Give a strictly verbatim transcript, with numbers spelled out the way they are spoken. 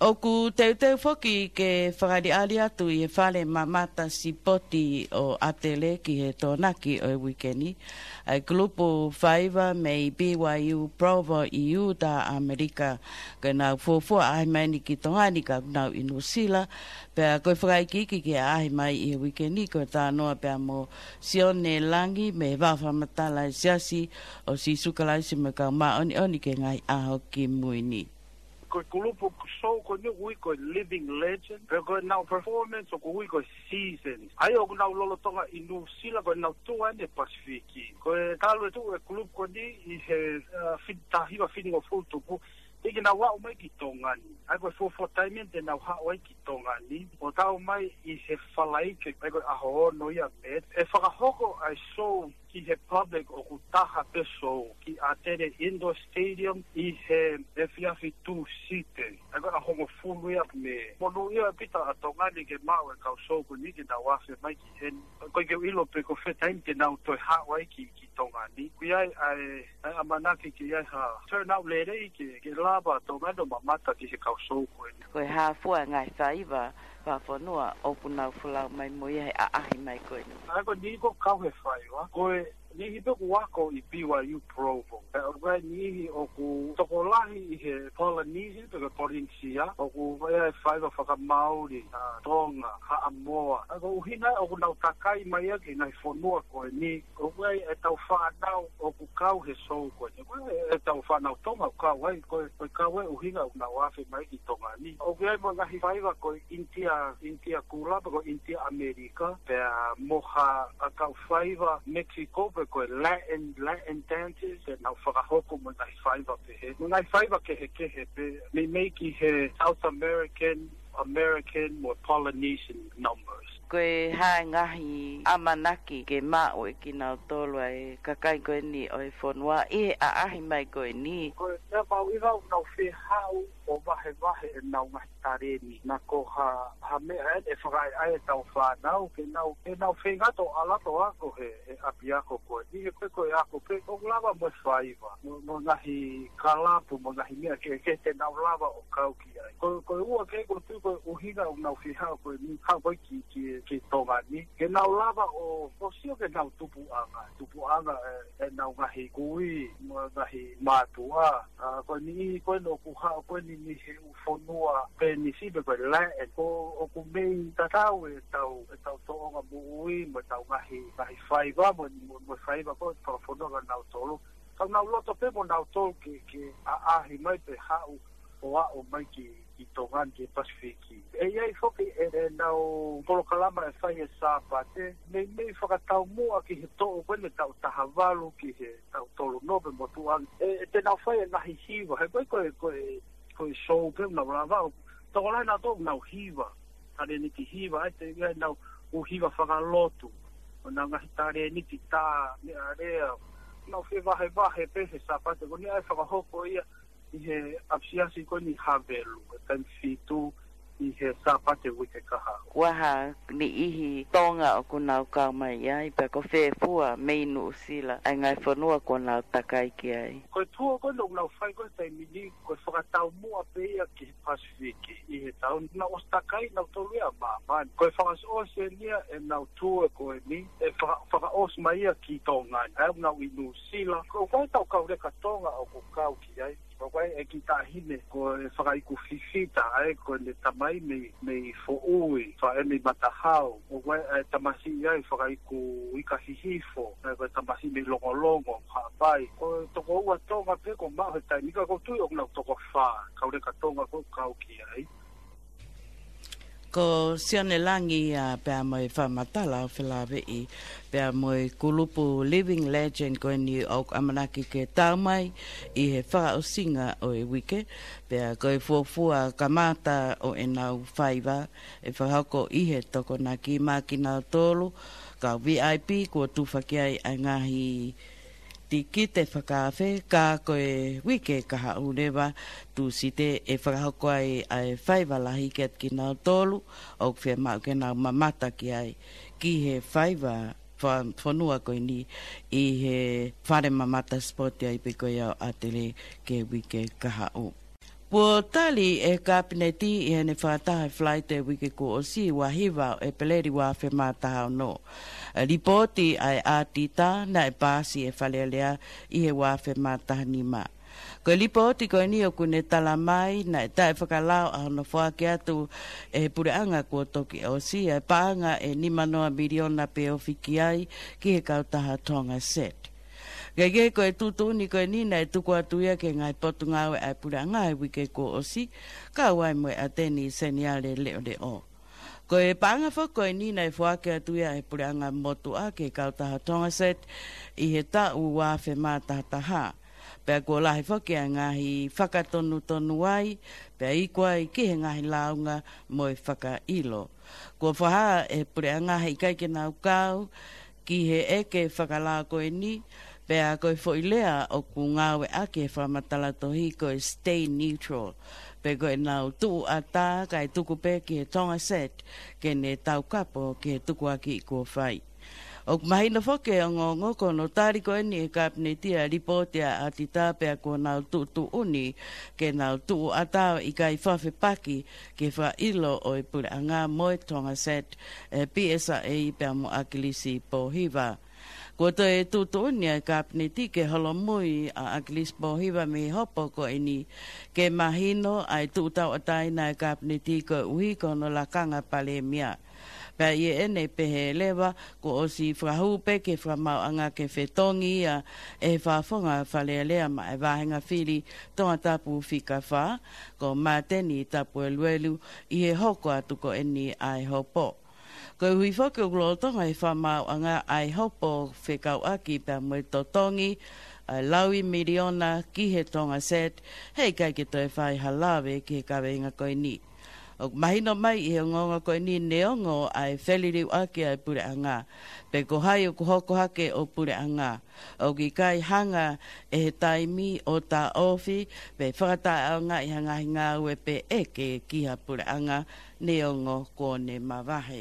ʻOku teuteu foki ke fakaʻaliʻali atu ʻi he fale mamata sipoti ʻo ʻAtele ki he Tokonaki ʻo e uike ni ʻa e kulupu faiva mei B Y U Provo ʻi ʻIutā, ʻAmelika. Ko ʻenau fuofua ʻaʻahi mai ni ki Tonga ni ka ʻoku nau ʻi Nuʻusila. Pea ko e fakaikiiki ke ʻaʻahi mai ʻi he uike ni ko e talanoa pea mo Sione Langi mei he Vaʻa Fakamatala ʻa e Siasi ʻo Sīsū Kalaisi mo e Kau Māʻoniʻoni ki he Ngaahi ʻAho Kimui Ni. Ko e kulupu show ko eni ʻoku ui ko e Living Legend, pea ko ʻenau performance ʻoku ui ko e Seasons. ʻA ia ʻoku nau lolotonga ʻi Nuʻusila, ko ʻenau tuʻu ʻeni Pasifiki. Ko e talu e tuʻu e kulupu ko eni ʻi he, uh, fit-, taha hiva fitungofulu tupu, teʻeki ke nau aʻu mai ki Tonga ni. ʻA ia ko e fuofua taimi eni te nau haʻu ai ki Tonga ni, ʻo tau mai ʻi he Falaite, ʻa ia ko e ʻaho ono ia Mē, ʻe fakahoko ʻa e show ki he public ʻoku taha pē show ki ʻAtele Indoor Stadium ʻi he efiafi Tūsite. ʻA ia ko e ʻaho hongofulu ia Mē. Monūʻia ʻaupito ʻa Tonga ni ke maʻu e kau show ko eni ke nau afe mai ki heni. ʻOku ʻikai ke u ʻilo pe ko fē taimi te nau toe haʻu ai ki, ki Tonga ni. ʻOku ʻi ai ʻa e, ʻa e ʻamanaki ke ʻi ai ha turnout lelei ke, ke lava ʻa Tonga ni ʻo mamata ki he kau show ko eni. Ko e hā fua e ngaahi faiva fakafonua ʻoku nau folau mai mo ia he ʻaʻahi mai ko eni? ʻA ia ko e niʻihi ʻoku kau he faiva, ko e niʻihi pē ʻoku ako ʻi B Y U Provo. Pea ʻoku ʻi ai e niʻihi ʻoku tokolahi ʻi he Polynesia, pe ko e Polynesia, ʻoku ʻi ai e faiva fakamaoli, ʻa Tonga, Haʻamoa. ʻA ia ko e ʻuhinga ʻoku nau takai mai ia ki he ngaahi fonua ko eni, ʻoku ʻi ai ʻetau fānau ʻoku kau he show ko eni. ʻOku ʻi ai ʻetau fānau Tonga ʻoku kau ai, ko e, ko e kau e ʻuhinga ʻoku nau afe mai ki Tonga ni. ʻOku ʻi ai mo e ngaahi faiva ko e ʻInitia, ʻInitia Kula, pe ko e ʻInitia ʻAmelika, pea mo ha, ʻa e kau faiva Mexico, pe ko e Latin, Latin dances, te nau fakahoko mo e ngaahi faiva pehē. Mo e ngaahi faiva kehekehe pē, meimei ki he South American, American mo Polynesian numbers. Ko e hā e ngaahi ʻamanaki ke maʻu ʻe kinautolu ʻa e kakai ko eni ʻo e fonua ʻi he ʻaʻahi mai ko eni? Ko e meʻa mahuʻinga ʻoku nau fie haʻu ʻo vahevahe ʻenau ngaahi taleni. Naʻa ko ha, ha meʻa ʻe, ʻe fakaʻaiʻai ʻetau fānau, ke nau, ke nau feinga ʻo ʻalu atu ʻo ako he, he ʻapiako ko eni. He ko e, ko e ako pē, ʻoku lava mo e faiva, mo, mo e ngaahi kalapu, mo e ngaahi meʻa kehekehe te nau lava ʻo kau ki ai. Ko, ko e ua ke, ʻoku ou tui ko e ʻuhinga ʻoku nau fie haʻu ko eni, haʻu ko ē ki, ki, ki Tonga ni. Ke nau lava ʻo, ʻo sio ki heʻenau tupuʻanga, tupuʻanga ʻe, ʻenau ngaahi kui, mo e ngaahi mātuʻa. ʻA, ko e niʻihi ko eni ʻoku haʻu ko eni mei he ʻū fonua Peninisi pe ko e Latin. Ko, ʻoku mei tatau ʻetau, ʻetau tōʻonga moʻui, mo ʻetau ngaahi, ngaahi faiva, mo, mo, mo e faiva ko ē fakafonua kia nautolu. Ka nau loto pē mo nautolu ke, ke ʻaʻahi mai pe haʻu ʻo aʻu mai ki, ki Tonga ni ki he Pasifiki. ʻE ʻi ai foki ʻe, ʻenau polokalama ʻe fai he Sāpate, meimei fakataumuʻa ki he toʻu ko eni taʻu taha valu ki he taʻu tolu noa pe motuʻa ange. ʻE, ʻe te nau fai e ngaahi hiva, he ko e, ko e, ko e, ko e show pē ʻoku nau lava, ʻo tokolahi nautolu ʻoku nau hiva, talēniti hiva, ʻa ia te ʻi ai ʻenau ʻū hiva fakalotu, ʻo ʻenau ngaahi talēniti tā, meʻalea, nau fevahevahe pē he Sāpate ko eni ʻa e fakahoko ia ʻi he ʻapisiasi ko eni Havelu, ʻi he taimi fitu ʻi he Sāpate uike kahaʻu. Ko e hā e niʻihi Tonga ʻoku nau kau mai ai, pea ko fē fua mei Nuʻusila, ʻa e ngaahi fonua kuo nau takai ki ai? Ko e tour ko eni ʻoku nau fai ko ē he taimi ni, ko e fakataumuʻa pē ia ki he Pasifiki ʻi he taʻu ni. Nau ʻosi takai nautolu ia ʻa māmani. Ko e fakaʻosiʻosi eni ia ʻenau tour ko eni, ʻe faka-, fakaʻosi mai ia ki Tonga ni. ʻA ia ʻoku nau ʻi Nuʻusila. Ko e ʻū kau leka Tonga ʻoku kau ki ai. Ko e kiʻi taʻahine ko e fakaiku Fifita, ʻa ia ko ʻene tamai mei, mei Foʻui, faʻē mei Matahao. Ko e tamasiʻi ʻa e fakaiku Ika Hihifo, ʻa ia ko e tamasiʻi mei Longolongo, Haʻapai. Ko e toko ua Tonga pē ʻoku maʻu he taimi ni, ka ʻoku ou tui ʻoku nau toko fā kau leka Tonga ʻoku kau ki ai. Ko Sione Langi ia pea mo e fakamatala ʻo felāveʻi pea mo e kulupu Living Legend ko eni ʻoku ʻamanaki ke tau mai ʻi he fakaʻosinga ʻo e uike, pea ko e fuofua kamata ʻo ʻenau faiva ʻe fakahoko ʻi he Tokonaki maʻa kinautolu kau V I P kuo tufa ki ai ʻa e ngaahi tikite fakaafe, ka ko e uike kahaʻu leva, Tūsite, ʻe fakahoko ai ʻa e faiva lahi kiate kinautolu ʻoku fiemaʻu ke nau mamata ki ai, ki he faiva fa-, fonua ko eni ʻi he fale mamata sipoti ʻa ia pē ko ia ʻo ʻAtele ki he uike kahaʻu. Kuo tali ʻe he Kapineti ʻi heʻene fakataha he Falaite uike kuo ʻosi, ua hiva ʻo ʻEpeleli ua afe mā taha ono, ʻa e lipooti ʻa e ʻatita naʻe paasi ʻe he Fale Alea ʻi he ua afe mā taha nima. Ko e lipooti ko eni ʻoku ne tala mai naʻe taʻefakalao ʻa hono foaki atu ʻe he puleʻanga kuo toki ʻosi ʻa e paʻanga ʻe nima noa miliona pe ofi ki ai ki he kautaha Tonga Sat. Kaekehe, ko e tuʻutuʻuni ko eni naʻe tuku atu ia ki he ngaahi potungāue ʻa e puleʻanga he uike kuo ʻosi, kau ai mo e ʻAteni Seniale Leʻoleʻo. Ko e paʻanga foki ko eni naʻe foaki atu ia ʻe he puleʻanga motuʻa ki he kautaha Tonga Sat ʻi he taʻu ua afe mā taha taha. Pea kuo lahi foki ʻa e ngaahi fakatonutonu ai, pea iku ai ki he ngaahi lāunga mo e fakaʻilo. Kuo fakahā ʻe he puleʻanga he ʻikai ke nau kau ki he ʻeke fakalao ko eni, pea ko e foʻi lea ʻoku ngāueʻaki he fakamatala tohi ko e stay neutral. Pe ko ʻenau tuʻu ʻatā kae tuku pē ki he Tonga Sat ke ne taukapo ki he tukuakiʻi kuo fai. ʻOku mahino foki ʻe he ongoongo ko hono tali ko eni ʻe he Kapineti ʻa e lipooti ʻa e ʻatita, pea kuo nau tuʻutuʻuni ke nau tuʻu ʻatā ʻo ʻikai fakafepaki ki he fakaʻilo ʻo e puleʻanga mo e Tonga Sat, ʻe P S A pea mo ʻAkilisi Pōhiva. Kuo toe tuʻutuʻuni ʻa e Kapineti ke holomui ʻa ʻAkilisi Pōhiva mei he hopo ko eni ke mahino ʻa e tuʻu tauʻatāina ʻa e Kapineti koeʻuhi ko hono lakanga Palēmia. Pea ʻi heʻene pehē leva, kuo ʻosi fakahū pē ki he Fakamaauʻanga ke fetongi ia ʻe he Fakafofonga Fale Alea maʻa e Vāhenga Fili Tongatapu fika fā, ko Māteni Tapueluelu, ʻi he hoko atu ko eni ʻa e hopo. Koeʻuhi foki ʻoku lolotonga ʻe he Fakamaauʻanga ʻa e hopo fekauʻaki pea mo e totongi ʻa e laui miliona ki he Tonga Sat, he ʻikai ke toe fai ha lave ki he kaveinga ko eni. ʻOku mahino mai ʻi he ongoongo ko eni neongo ʻa e feliliuaki ʻa e puleʻanga, pe ko hai ʻoku hoko hake ʻo puleʻanga, ʻoku ʻikai hanga ʻe he taimi ʻo taʻofi pe fakataʻeʻaongaʻi ha ngaahi ngāue pe ʻeke ki ha puleʻanga neongo kuo ne mavahe.